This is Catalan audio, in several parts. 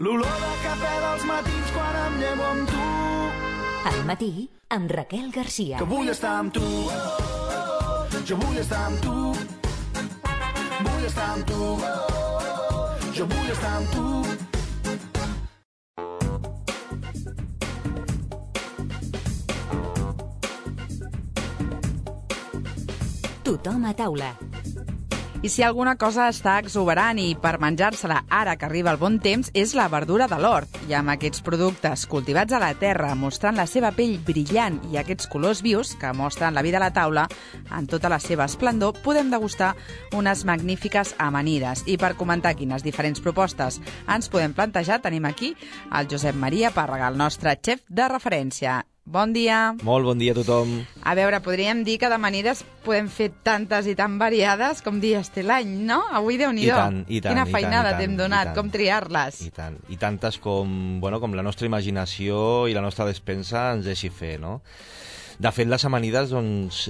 L'olor de cafè dels matins quan em llevo amb tu. Al matí, amb Raquel Garcia. Que vull estar amb tu. Jo vull estar amb tu. Vull estar amb tu. Jo vull estar amb tu. Tothom a taula. I si alguna cosa està exuberant i per menjar-se-la ara que arriba el bon temps és la verdura de l'hort. I amb aquests productes cultivats a la terra, mostrant la seva pell brillant i aquests colors vius que mostren la vida a la taula en tota la seva esplendor, podem degustar unes magnífiques amanides. I per comentar quines diferents propostes ens podem plantejar, tenim aquí el Josep Maria Pàrrega, el nostre xef de referència. Bon dia. Molt bon dia a tothom. A veure, podríem dir que d'amanides podem fer tantes i tan variades com dies té l'any, no? Avui, Déu-n'hi-do. I tant. Quina feinada t'hem donat, com triar-les. I tant. I tantes com la nostra imaginació i la nostra despensa ens deixi fer, no? De fet, les amanides, doncs,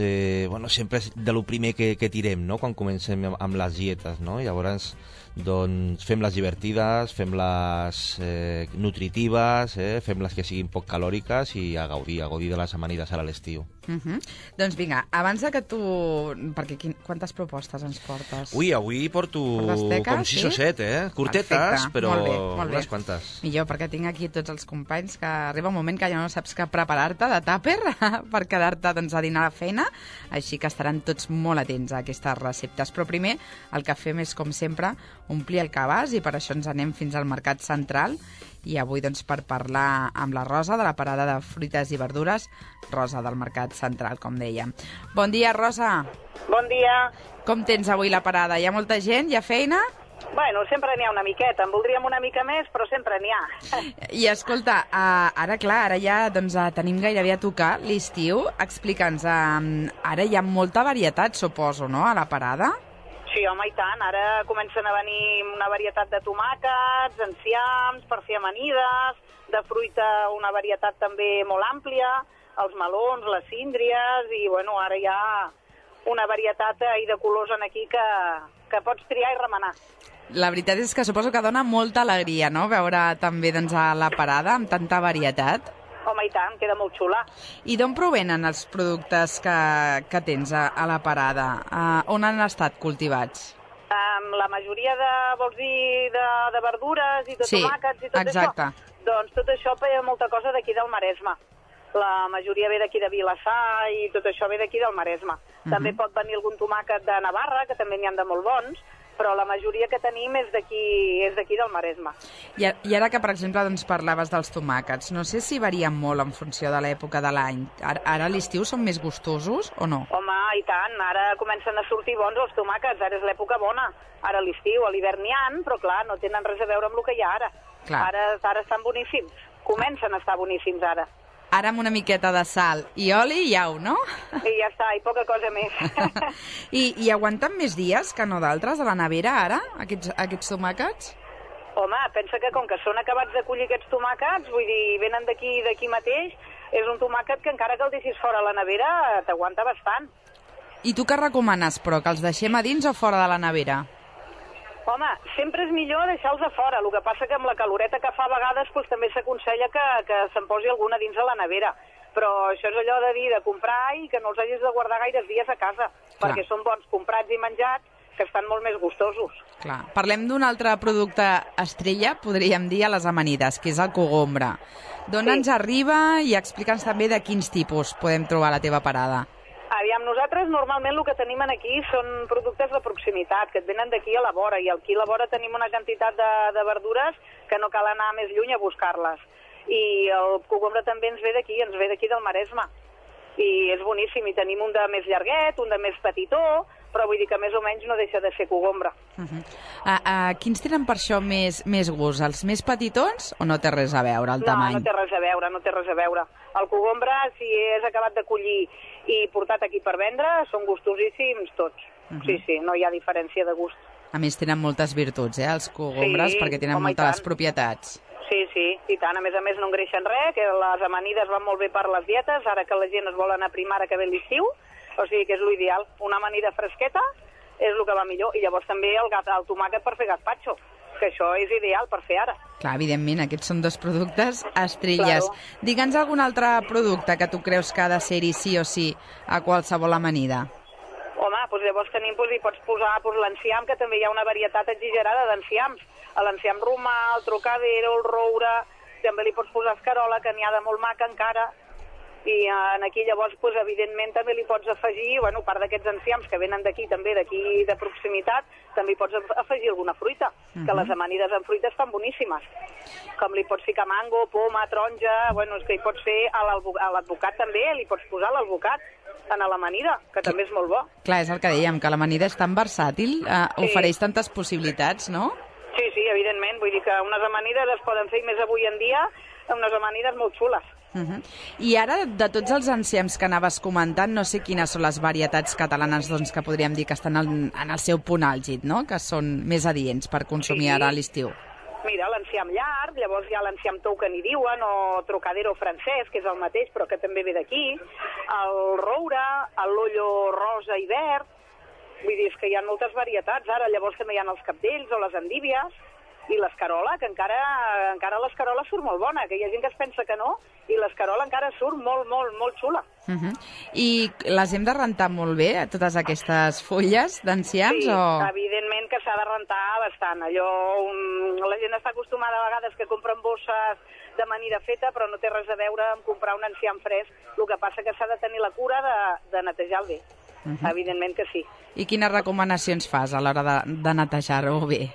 sempre és de lo primer que tirem, no?, quan comencem amb les dietes, no? Llavors, doncs, fem-les divertides, fem-les nutritives, fem-les que siguin poc calòriques i a gaudir de les amanides a l'estiu. Doncs vinga, abans de que tu... Perquè quantes propostes ens portes? Avui porto com 6 o 7, curtetes, perfecte. Però molt bé. Unes quantes. Millor, perquè tinc aquí tots els companys que arriba un moment que ja no saps què preparar-te de tàper per quedar-te doncs, a dinar a la feina, així que estaran tots molt atents a aquestes receptes. Però primer el que fem és, com sempre, omplir el cabàs i per això ens anem fins al Mercat Central i avui doncs, per parlar amb la Rosa de la parada de fruites i verdures, Rosa del Mercat Central, com dèiem. Bon dia, Rosa. Bon dia. Com tens avui la parada? Hi ha molta gent? Hi ha feina? Bueno, sempre n'hi ha una miqueta. En voldríem una mica més, però sempre n'hi ha. I escolta, ara ja doncs, tenim gairebé a tocar l'estiu. Explica'ns, ara hi ha molta varietat, suposo, no?, a la parada? Sí, home, i tant. Ara comencen a venir una varietat de tomàquets, enciams, per fer amanides, de fruita una varietat també molt àmplia, els melons, les síndries, i bueno, ara hi ha una varietat de colors en aquí que pots triar i remenar. La veritat és que suposo que dona molta alegria, no?, veure també doncs, a la parada amb tanta varietat. Home, i tant, queda molt xula. I d'on provenen els productes que tens a la parada? On han estat cultivats? La majoria vols dir, de verdures i de tomàquets i tot exacte. Això? Doncs tot això ve molta cosa d'aquí del Maresme. La majoria ve d'aquí de Vilassar i tot això ve d'aquí del Maresme. També pot venir algun tomàquet de Navarra, que també n'hi ha de molt bons, però la majoria que tenim és d'aquí del Maresme. I ara que, per exemple, doncs, parlaves dels tomàquets, no sé si varien molt en funció de l'època de l'any. Ara a l'estiu són més gustosos o no? Home, i tant, ara comencen a sortir bons els tomàquets, ara és l'època bona. Ara a l'estiu, a l'hivern n'hi ha, però clar, no tenen res a veure amb el que hi ha ara. Ara estan boníssims, comencen a estar boníssims ara. Ara amb una miqueta de sal i oli i au, no? I ja està, i poca cosa més. I aguanten més dies que no d'altres a la nevera ara, aquests tomàquets? Home, pensa que com que són acabats de collir aquests tomàquets, vull dir, venen d'aquí mateix, és un tomàquet que encara que el deixis fora a la nevera t'aguanta bastant. I tu què recomanes, però, que els deixem a dins o fora de la nevera? Home, sempre és millor deixar-los a fora. El que passa que amb la caloreta que fa a vegades doncs, també s'aconsella que se'n posi alguna dins a la nevera. Però això és allò de dir, de comprar i que no els hagis de guardar gaires dies a casa, perquè són bons comprats i menjats, que estan molt més gustosos. Clar. Parlem d'un altre producte estrella, podríem dir, a les amanides, que és el cogombre. D'on ens arriba i explica'ns també de quins tipus podem trobar a la teva parada. Aviam, nosaltres normalment el que tenim aquí són productes de proximitat, que et venen d'aquí a la vora, i aquí a la vora tenim una quantitat de verdures que no cal anar més lluny a buscar-les. I el cogombre també ens ve d'aquí del Maresme. I és boníssim, i tenim un de més llarguet, un de més petitó, però vull dir que més o menys no deixa de ser cogombre. Quins tenen per això més gust? Els més petitons o no té res a veure el tamany? No, no té res a veure. El cogombre, si és acabat de collir i portat aquí per vendre, són gustosíssims tots. Sí, no hi ha diferència de gust. A més, tenen moltes virtuts, els cogombres, perquè tenen moltes propietats. Sí, i tant. A més, no engreixen res, que les amanides van molt bé per les dietes, ara que la gent es vol anar a primar ara que ve l'estiu, o sigui que és l'ideal. Una amanida fresqueta és el que va millor. I llavors també el tomàquet per fer gazpacho. que això és ideal per fer ara. Clar, evidentment, aquests són dos productes estrelles. Claro. Digue'ns algun altre producte que tu creus que ha de ser-hi sí o sí a qualsevol amanida. Home, doncs llavors tenim, hi pots posar l'enciam, que també hi ha una varietat exagerada d'enciams. L'enciam romà, el trocadero, el roure, també li pots posar escarola, que n'hi ha de molt maca encara. I aquí llavors, evidentment, també li pots afegir, a part d'aquests enciams que venen d'aquí, també d'aquí de proximitat, també hi pots afegir alguna fruita, que les amanides amb fruita estan boníssimes. Com li pots ficar mango, poma, taronja, és que hi pots fer a l'advocat també, li pots posar l'alvocat a l'amanida, que també és molt bo. Clar, és el que dèiem, que l'amanida és tan versàtil, ofereix tantes possibilitats, no? Sí, evidentment, vull dir que unes amanides es poden fer, més avui en dia, unes amanides molt xules. I ara, de tots els enciams que anaves comentant, no sé quines són les varietats catalanes que podríem dir que estan en el seu punt àlgid, no? Que són més adients per consumir ara a l'estiu. Mira, l'enciam llarg, llavors hi ha l'enciam tou que n'hi diuen, o trocadero francès, que és el mateix però que també ve d'aquí, el roure, l'ollo rosa i verd, vull dir, que hi ha moltes varietats ara, llavors també hi ha els cabdells o les endívies, i l'escarola, que encara l'escarola surt molt bona, que hi ha gent que es pensa que no, i l'escarola encara surt molt, molt, molt xula. I les hem de rentar molt bé, totes aquestes fulles d'enciams? Sí, evidentment que s'ha de rentar bastant. La gent està acostumada a vegades que compren bosses d'amanida feta, però no té res a veure amb comprar un enciam fresc. El que passa que s'ha de tenir la cura de netejar-lo bé. Evidentment que sí. I quines recomanacions fas a l'hora de netejar-ho bé?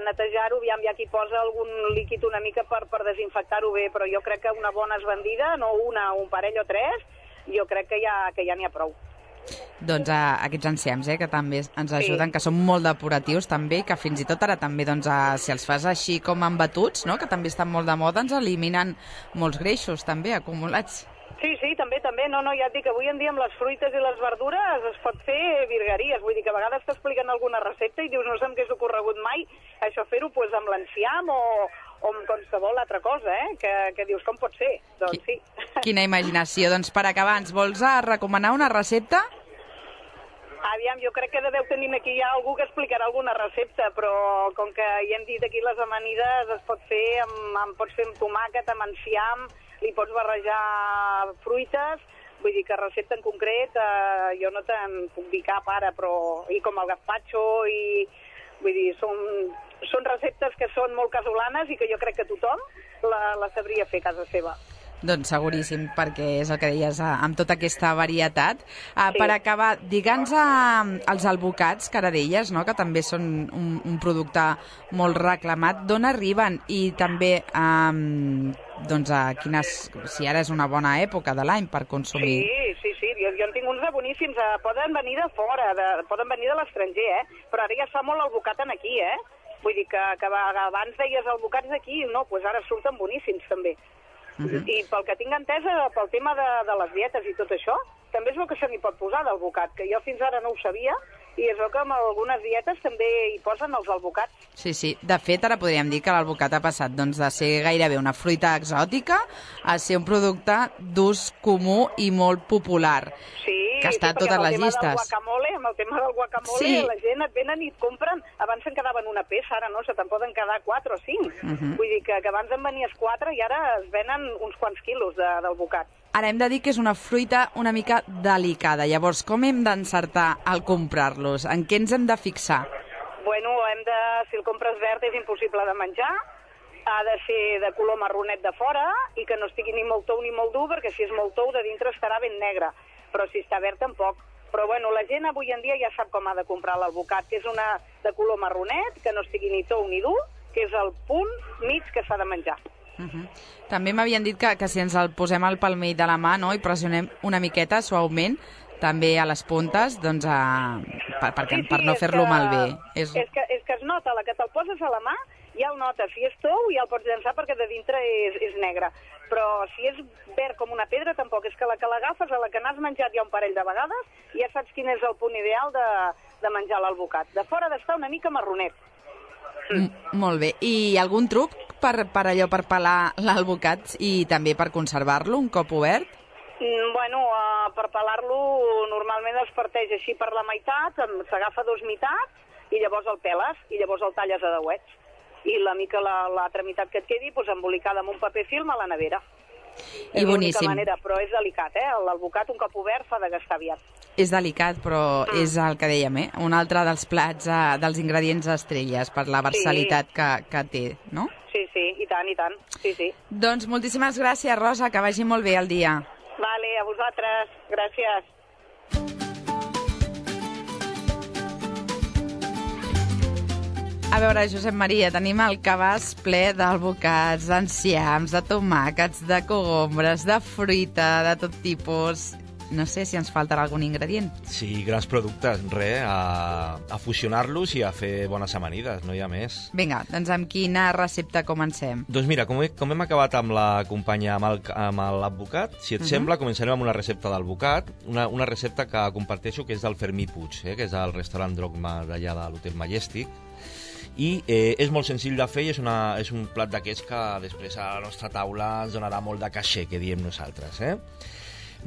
Netejar-ho, hi ha qui posa algun líquid una mica per desinfectar-ho bé, però jo crec que una bona esbandida, no un parell o tres, jo crec que ja n'hi ha prou. Doncs aquests enciams, que també ens ajuden, que són molt depuratius també, que fins i tot ara també, si els fas així com en batuts, no? Que també estan molt de moda, ens eliminen molts greixos també acumulats. Sí, també. No, ja et dic, avui en dia amb les fruites i les verdures es pot fer virgueries. Vull dir que a vegades t'expliquen alguna recepta i dius, no sé amb què s'ha ocorregut mai, això fer-ho amb l'enciam o amb qualsevol altra cosa, que dius, com pot ser? Doncs sí. Quina imaginació. Doncs per acabar, ens vols recomanar una recepta? Aviam, jo crec que deveu tenir aquí ja algú que explicarà alguna recepta, però com que ja hem dit aquí les amanides es pot fer pots fer amb tomàquet, amb enciam, li pots barrejar fruites, vull dir que recepta en concret jo no te'n puc dir cap ara, però i com el gazpacho, i vull dir, són receptes que són molt casolanes i que jo crec que tothom la sabria fer a casa seva. Doncs seguríssim, perquè és el que deies, amb tota aquesta varietat. Per acabar, digue'ns els alvocats, que ara deies, no? Que també són un producte molt reclamat. D'on arriben? I també, si ara és una bona època de l'any per consumir. Sí, jo en tinc uns de boníssims. Poden venir de fora, poden venir de l'estranger, però ara ja es fa molt alvocat aquí, Vull dir que abans deies alvocats d'aquí, no, doncs ara surten boníssims també. I pel que tinc entesa, pel tema de les dietes i tot això, també és el que se n'hi pot posar d'alvocat, que jo fins ara no ho sabia, i és el que en algunes dietes també hi posen els alvocats. Sí. De fet, ara podríem dir que l'alvocat ha passat de ser gairebé una fruita exòtica a ser un producte d'ús comú i molt popular, que està a totes les llistes. Amb el tema del guacamole, la gent et venen i et compren. Abans se'n quedaven una peça, ara no, se te'n poden quedar 4 o 5. Vull dir que abans en venies 4 i ara es venen uns quants quilos d'alvocat. Ara hem de dir que és una fruita una mica delicada. Llavors, com hem d'encertar al comprar-los? En què ens hem de fixar? Bueno, si el compres verd és impossible de menjar, ha de ser de color marronet de fora i que no estigui ni molt tou ni molt dur, perquè si és molt tou de dintre estarà ben negre, però si està verd tampoc. Però bueno, la gent avui en dia ja sap com ha de comprar l'alvocat, que és una de color marronet, que no estigui ni tou ni dur, que és el punt mig que s'ha de menjar. També m'havien dit que si ens el posem al palmell de la mà, no, i pressionem una miqueta suaument, també a les puntes, doncs, per no fer-lo malbé. És que es nota, la que te'l poses a la mà, ja el notes. Si és tou, ja el pots llançar perquè de dintre és negre. Però si és verd com una pedra, tampoc. És que la que l'agafes, a la que n'has menjat ja un parell de vegades, ja saps quin és el punt ideal de menjar l'alvocat. De fora ha d'estar una mica marronet. Molt bé. I algun truc per pelar l'alvocat i també per conservar-lo un cop obert? Bueno, per pelar-lo normalment es parteix així per la meitat, s'agafa 2 meitats i llavors el peles i llavors el talles a dauets. i l'altra meitat que et quedi embolicada amb un paper film a la nevera. I és boníssim. l'única manera, però és delicat, l'alvocat un cop obert s'ha de gastar aviat. És delicat, però és el que dèiem, un altre dels plats, dels ingredients estrelles, per la versalitat que té, no? Sí, i tant, sí. Doncs moltíssimes gràcies, Rosa, que vagi molt bé el dia. Vale, a vosaltres, gràcies. A veure, Josep Maria, tenim el cabàs ple d'alvocats, d'enciams, de tomàquets, de cogombres, de fruita, de tot tipus. No sé si ens faltarà algun ingredient. Sí, grans productes, a fusionar-los i a fer bones amanides, no hi ha més. Vinga, doncs amb quina recepta comencem? Doncs mira, com hem acabat amb la companya, amb l'advocat, si et sembla, començarem amb una recepta d'alvocat, una recepta que comparteixo, que és del Fermí Puig, que és el restaurant Drogma d'allà de l'Hotel Majestic, i és molt senzill de fer i és un plat d'aquests que després a la nostra taula ens donarà molt de caixer, que diem nosaltres.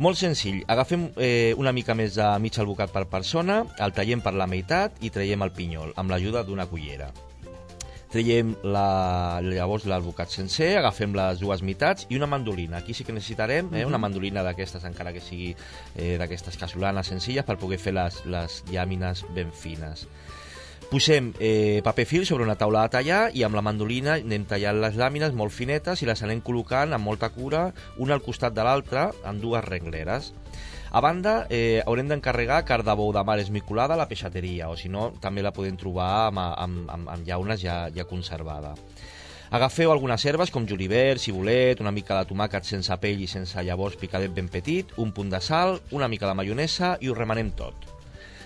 Molt senzill, agafem una mica més de mig alvocat per persona, el tallem per la meitat i traiem el pinyol, amb l'ajuda d'una cullera. Traiem llavors l'alvocat sencer, agafem les dues meitats i una mandolina. Aquí sí que necessitarem una mandolina d'aquestes, encara que sigui d'aquestes casolanes senzilles, per poder fer les llàmines ben fines. Posem paper fil sobre una taula de tallar i amb la mandolina anem tallant les làmines molt finetes i les anem col·locant amb molta cura, una al costat de l'altra, en dues rengleres. A banda, haurem d'encarregar carn de bou de mar esmicolada a la peixateria, o si no, també la podem trobar amb llaunes ja conservada. Agafeu algunes herbes com julivert, cibulet, una mica de tomàquet sense pell i sense llavors picadet ben petit, un punt de sal, una mica de maionesa i ho remenem tot.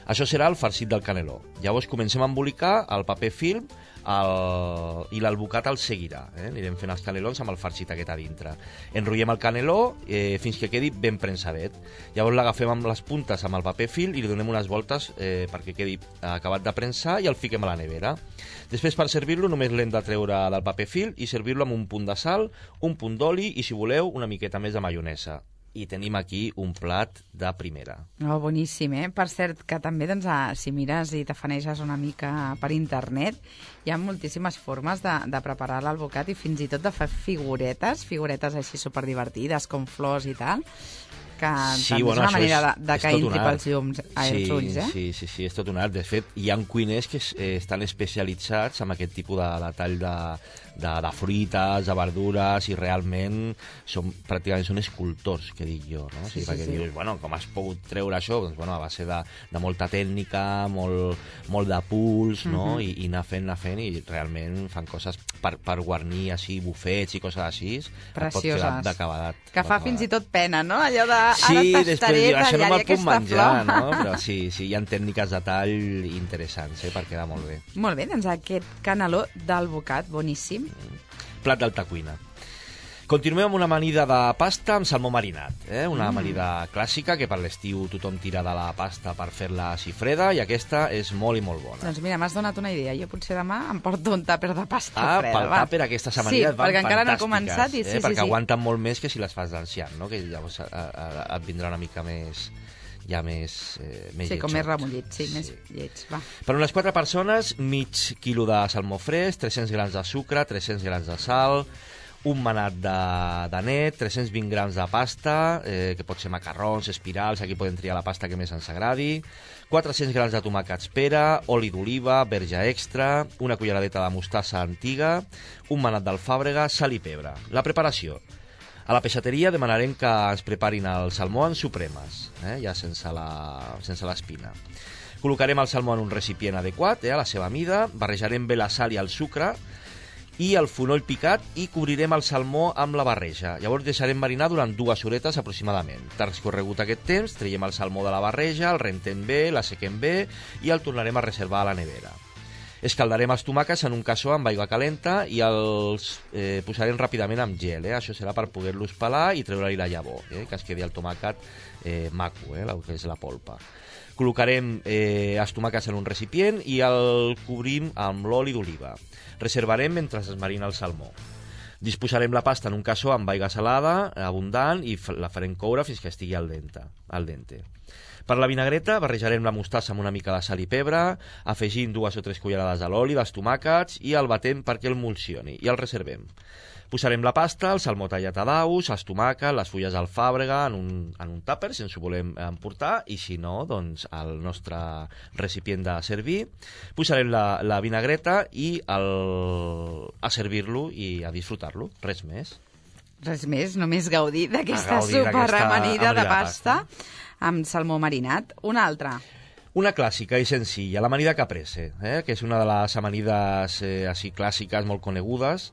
Això serà el farcit del caneló. Llavors comencem a embolicar el paper film i l'alvocat el seguirà. Anirem fent els canelons amb el farcit aquest a dintre. Enrotllem el caneló fins que quedi ben prensadet. Llavors l'agafem amb les puntes amb el paper film i li donem unes voltes perquè quedi acabat de prensar i el fiquem a la nevera. Després, per servir-lo, només l'hem de treure del paper film i servir-lo amb un punt de sal, un punt d'oli i, si voleu, una miqueta més de maionesa. I tenim aquí un plat de primera. Oh, boníssim, Per cert, que també, doncs, si mires i t'afaneges una mica per internet, hi ha moltíssimes formes de preparar l'alvocat i fins i tot de fer figuretes així superdivertides, com flors i tal, que també és una manera de que entri pels llums als ulls, Sí, és tot un art. De fet, hi ha cuiners que estan especialitzats en aquest tipus de tall de fruites, de verdures, i realment pràcticament són escultors, que dic jo, no? Perquè dius, com has pogut treure això? Doncs, a base de molta tècnica, molt de puls, no? I anar fent, i realment fan coses per guarnir així, bufets i coses així. Precioses. D'acabadat. Que fa fins i tot pena, no? Allò de, sí, ara tastaré, això no me'l puc menjar, flor. No? Però sí, hi ha tècniques de tall interessants, per quedar molt bé. Molt bé, doncs aquest caneló d'alvocat, boníssim. Plat d'alta cuina. Continuem amb una amanida de pasta amb salmó marinat. Una amanida clàssica que per l'estiu tothom tira de la pasta per fer-la així freda, i aquesta és molt i molt bona. Doncs mira, m'has donat una idea. Jo potser demà em porto un tàper de pasta freda. Pel tàper aquestes amanides van perquè encara no he començat. Perquè aguanten molt més que si les fas d'ancian, no? Que llavors et vindrà una mica més sí, com més remollit, més lleig. Va. Per unes 4 persones, mig quilo de salmó fresc, 300 grams de sucre, 300 grams de sal, un manat de net, 320 grams de pasta, que pot ser macarrons, espirals, aquí podem triar la pasta que més ens agradi, 400 grams de tomàquets pera, oli d'oliva, verge extra, una culleradeta de mostassa antiga, un manat d'alfàbrega, sal i pebre. La preparació. A la peixateria demanarem que ens preparin el salmó en supremes, ja sense l'espina. Col·locarem el salmó en un recipient adequat, a la seva mida, barrejarem bé la sal i el sucre i el fonoll picat i cobrirem el salmó amb la barreja. Llavors deixarem marinar durant 2 horetes aproximadament. Transcorregut aquest temps, traiem el salmó de la barreja, el rentem bé, l'assequem bé i el tornarem a reservar a la nevera. Escaldarem els tomàquets en un cassó amb aigua calenta i els posarem ràpidament amb gel. Això serà per poder-los pelar i treure-li la llavor, que es quedi el tomàquet maco, el que és la polpa. Col·locarem els tomàquets en un recipient i el cobrim amb l'oli d'oliva. Reservarem mentre es marina el salmó. Disposarem la pasta en un cassó amb aigua salada, abundant, i la farem coure fins que estigui al dente. Per la vinagreta barrejarem la mostassa amb una mica de sal i pebre, afegint 2 o 3 cullerades de l'oli dels tomàquets i el batem perquè emulsioni i el reservem. Posarem la pasta, el salmó tallat a daus, els tomàquets, les fulles d'alfàbrega en un tàper, si ens ho volem emportar, i si no, doncs al nostre recipient de servir. Posarem la vinagreta i a servir-lo i a disfrutar-lo, res més. Res més, només gaudir d'aquesta superamanida de pasta amb salmó marinat. Una altra. Una clàssica i senzilla, l'amanida caprese, que és una de les amanides així clàssiques molt conegudes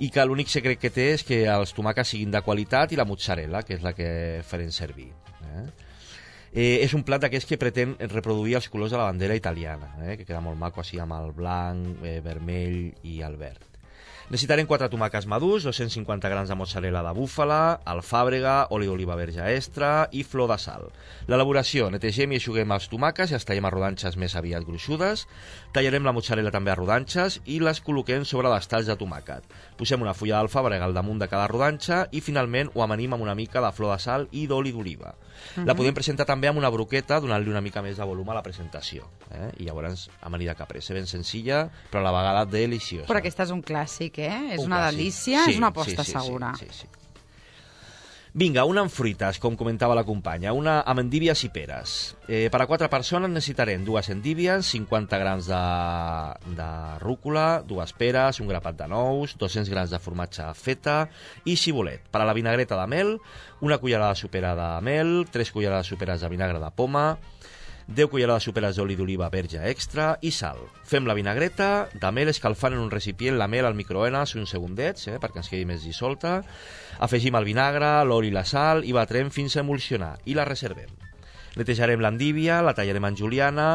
i que l'únic secret que té és que els tomàquets siguin de qualitat i la mozzarella, que és la que farem servir. És un plat d'aquests que pretén reproduir els colors de la bandera italiana, que queda molt maco així amb el blanc, vermell i el verd. Necessitarem 4 tomàquets madurs, 250 grams de mozzarella de búfala, alfàbrega, oli d'oliva verge extra i flor de sal. L'elaboració: netegem i eixuguem els tomàquets i els tallem a rodanxes més aviat gruixudes. Tallarem la mozzarella també a rodanxes i les col·loquem sobre les talls de tomàquet. Posem una fulla d'alfàbrega al damunt de cada rodanxa i finalment ho amanim amb una mica de flor de sal i d'oli d'oliva. La podem presentar també amb una broqueta, donant-li una mica més de volum a la presentació. I llavors, amanida caprese, ben senzilla, però a la vegada deliciosa. Però aquesta és un clàssic, És una delícia, és una aposta segura. Sí. Vinga, una amb fruites, com comentava la companya, una amb endívies i peres. Per a 4 persones necessitarem 2 endívies, 50 grams de rúcula, 2 peres, un grapat de nous, 200 grams de formatge feta i cibulet. Per a la vinagreta de mel, una cullerada sopera de mel, 3 cullerades soperes de vinagre de poma, 10 cullerades soperes d'oli d'oliva verge extra i sal. Fem la vinagreta de mel escalfant en un recipient la mel al microones uns segundets, perquè ens quedi més dissolta. Afegim el vinagre, l'oli i la sal i batrem fins a emulsionar i la reservem. Netejarem l'endívia, la tallarem en juliana,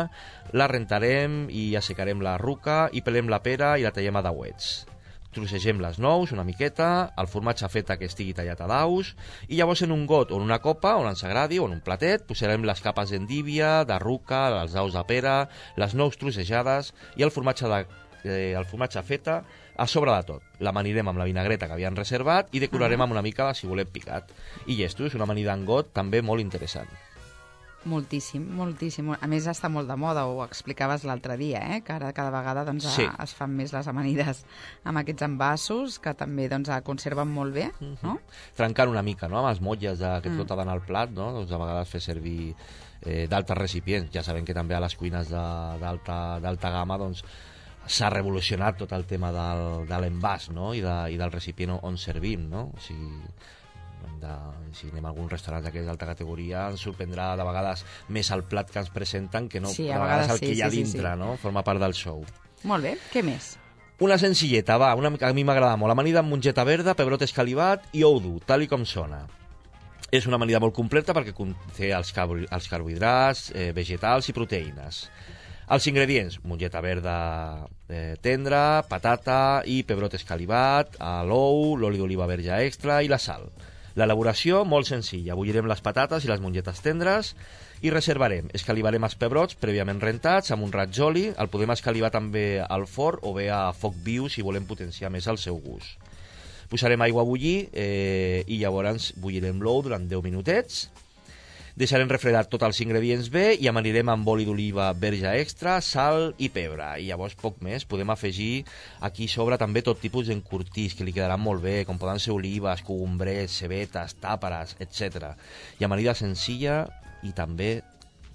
la rentarem i assecarem la ruca i pelem la pera i la tallem a dauets. Trossegem les nous una miqueta, el formatge feta que estigui tallat a daus i llavors en un got o en una copa, on ens agradi, o en un platet, posarem les capes d'endívia, de ruca, els daus de pera, les nous trossejades i el formatge feta a sobre de tot. L'amanirem amb la vinagreta que havíem reservat i decorarem amb una mica de cibulet picat. I llesto, és una amanida en got també molt interessant. Moltíssim. A més, està molt de moda, ho explicaves l'altre dia, que ara cada vegada es fan més les amanides amb aquests envasos, que també conserven molt bé, no? Trencant una mica, no?, amb els motlles que tot ha d'anar al plat, no?, doncs a vegades fer servir d'altres recipients. Ja sabem que també a les cuines d'alta gamma doncs s'ha revolucionat tot el tema de l'envàs, no?, i del recipient on servim, no? O sigui, si anem a algun restaurant d'aquesta d'alta categoria ens sorprendrà de vegades més el plat que ens presenten que no a vegades el que hi ha dintre, no? Forma part del show. Molt bé, què més? Una senzilleta, una mica, a mi m'agrada molt. Amanida amb mongeta verda, pebrot escalivat i ou dur, tal i com sona. És una amanida molt completa perquè conté els carbohidrats, vegetals i proteïnes. Els ingredients: mongeta verda tendra, patata i pebrot escalivat, l'ou, l'oli d'oliva verge extra i la sal. L'elaboració, molt senzilla. Bullirem les patates i les mongetes tendres i reservarem. Escalivarem els pebrots prèviament rentats amb un raig d'oli. El podem escalivar també al forn o bé a foc viu si volem potenciar més el seu gust. Posarem aigua a bullir i llavors bullirem l'ou durant 10 minutets. Deixarem refredar tots els ingredients bé i amanirem amb oli d'oliva verge extra, sal i pebre. I llavors poc més. Podem afegir aquí sobre també tot tipus d'encurtits que li quedaran molt bé, com poden ser olives, cogombrets, cebetes, tàperes, etc. I amanida senzilla i també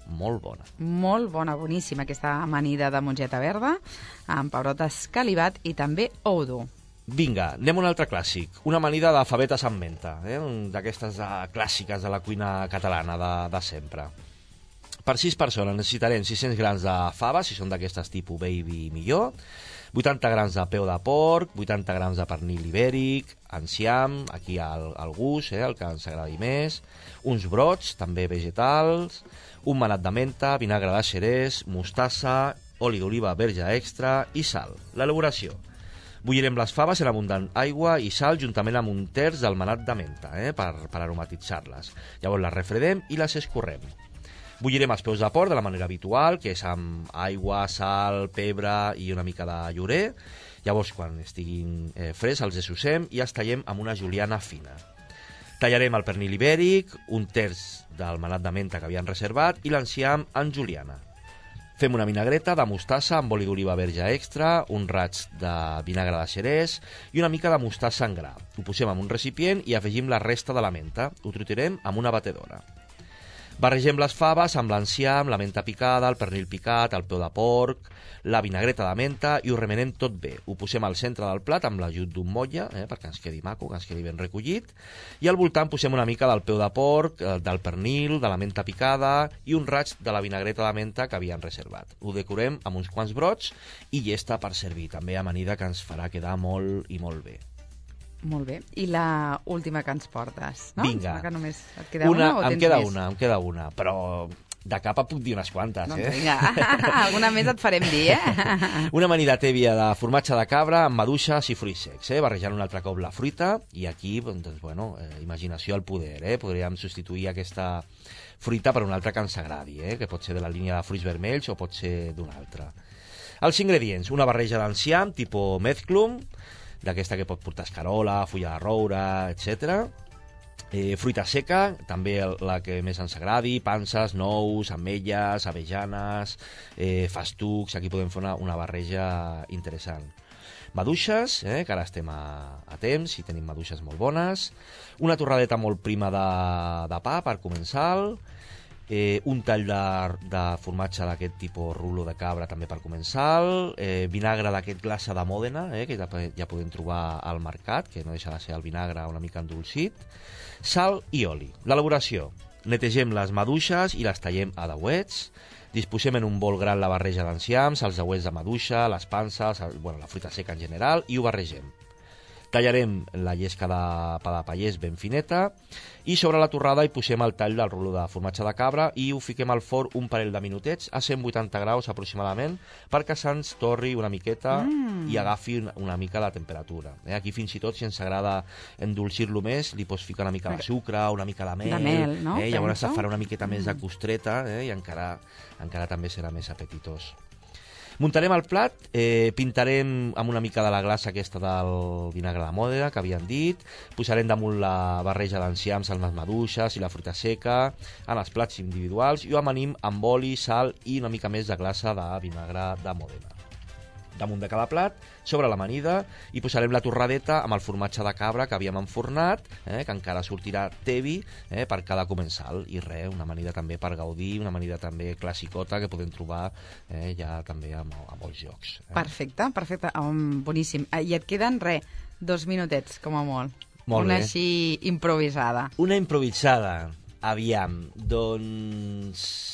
molt bona. Molt bona, boníssima aquesta amanida de mongeta verda amb pebrot escalivat i també ou dur. Vinga, anem a un altre clàssic, una amanida de favetes amb menta, d'aquestes clàssiques de la cuina catalana de sempre. Per 6 persones necessitarem 600 grams de faves, si són d'aquestes tipus baby millor, 80 grams de peu de porc, 80 grams de pernil ibèric, enciam, aquí al gust, el que ens agradi més, uns brots, també vegetals, un manat de menta, vinagre de xerès, mostassa, oli d'oliva verge extra i sal. L'elaboració: bullirem les faves en abundant aigua i sal juntament amb un terç del manat de menta, per aromatitzar-les. Llavors les refredem i les escorrem. Bullirem els peus de porc de la manera habitual, que és amb aigua, sal, pebre i una mica de llorer. Llavors, quan estiguin freds, els dessossem i els tallem amb una juliana fina. Tallarem el pernil ibèric, un terç del manat de menta que havien reservat i l'enciam en juliana. Fem una vinagreta de mostassa amb oli d'oliva verge extra, un raig de vinagre de xerès i una mica de mostassa en gra. Ho posem en un recipient i afegim la resta de la menta. Ho triturem amb una batedora. Barregem les faves amb l'enciam, la menta picada, el pernil picat, el peu de porc, la vinagreta de menta i ho remenem tot bé. Ho posem al centre del plat amb l'ajut d'un motlle, perquè ens quedi maco, que ens quedi ben recollit. I al voltant posem una mica del peu de porc, del pernil, de la menta picada i un raig de la vinagreta de menta que havien reservat. Ho decorem amb uns quants brots i llesta per servir. També amanida que ens farà quedar molt i molt bé. Molt bé. I la última que ens portes, no? Vinga. Que només et queda una o tens més? Em queda una, però de cap puc dir unes quantes, doncs vinga, alguna més et farem dir, Una amanida tèbia de formatge de cabra amb maduixes i fruits secs, barrejant un altre cop la fruita, i aquí, doncs, bueno, imaginació al poder, Podríem substituir aquesta fruita per una altra que ens agradi, que pot ser de la línia de fruits vermells o pot ser d'una altra. Els ingredients, una barreja d'enciam, tipus mezclum, d'aquesta que pot portar escarola, fulla de roure, etc. Fruita seca, també la que més ens agradi, panses, nous, ametlles, avellanes, festucs, aquí podem fer una barreja interessant. Maduixes, que ara estem a temps i tenim maduixes molt bones, una torradeta molt prima de pa per començar, un tall de formatge d'aquest tipus rulo de cabra també per començar, vinagre d'aquest glaça de Mòdena, que ja podem trobar al mercat, que no deixa de ser el vinagre una mica endolcit, sal i oli. L'elaboració: netegem les maduixes i les tallem a dauets, disposem en un bol gran la barreja d'enciams, els dauets de maduixa, les panses, la fruita seca en general, i ho barregem. Tallarem la llesca de pa de pallès ben fineta i sobre la torrada hi posem el tall del rulo de formatge de cabra i ho fiquem al forn un parell de minutets a 180 graus aproximadament perquè se'ns torri una miqueta i agafi una mica la temperatura. Aquí fins i tot, si ens agrada endolcir-lo més, li pots ficar una mica de sucre, una mica de mel, no? Llavors farà una miqueta més de costreta i encara també serà més apetitós. Muntarem el plat, pintarem amb una mica de la glassa aquesta del vinagre de Mòdena, que havien dit, posarem damunt la barreja d'enciams amb les maduixes i la fruita seca en els plats individuals i ho amanim amb oli, sal i una mica més de glassa de vinagre de Mòdena. Damunt de cada plat, sobre l'amanida, hi posarem la torradeta amb el formatge de cabra que havíem enfornat, que encara sortirà tebi per cada comensal. I res, una amanida també per gaudir, una amanida també classicota que podem trobar ja també a molts llocs. Perfecte, boníssim. I et queden, 2 minutets, com a molt. Molt una bé. així improvisada. Una improvisada. Aviam, doncs...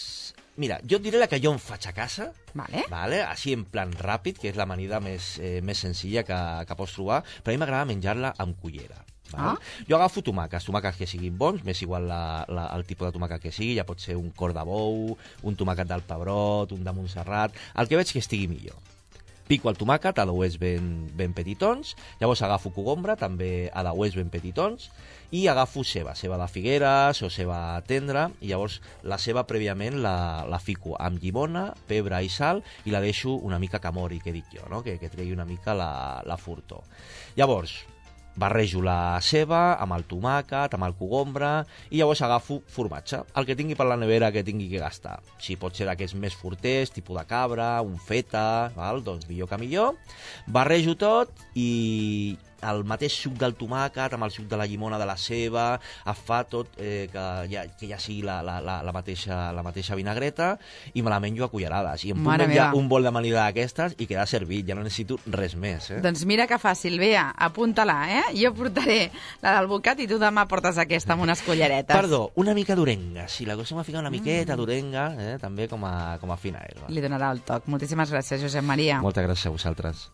Mira, jo et diré la que jo em faig a casa, Vale. així en plan ràpid, que és l'amanida més senzilla que pots trobar, però a mi m'agrada menjar-la amb cullera. Jo agafo tomàquets que siguin bons, m'és igual el tipus de tomàquet que sigui, ja pot ser un cor de bou, un tomàquet del Pebrot, un de Montserrat, el que veig que estigui millor. Pico el tomàquet a dauets ben petitons, llavors agafo cogombra, també a dauets ben petitons, i agafo ceba de Figueres o ceba tendra, i llavors la ceba prèviament la fico amb llimona, pebre i sal, i la deixo una mica que mori, que dic jo, no? que tregui una mica la furtor. Llavors, barrejo la ceba amb el tomàquet, amb el cogombre, i llavors agafo formatge, el que tingui per la nevera que tingui que gastar. Si pot ser d'aquests més forters, tipus de cabra, un feta, doncs millor que millor. Barrejo tot i el mateix suc del tomàquet amb el suc de la llimona de la ceba fa tot que ja sigui la mateixa vinagreta, i me la menjo a cullerades. I em puc menjar un bol d'amanida d'aquestes i quedar servit, ja no necessito res més. Doncs mira que fàcil, Bea, apunta-la, Jo portaré la del bocat i tu demà portes aquesta amb unes culleretes. Perdó, una mica d'orenga, si la cosa m'ha ficat una miqueta d'orenga, també com a fina herba. Li donarà el toc. Moltíssimes gràcies, Josep Maria. Moltes gràcies a vosaltres.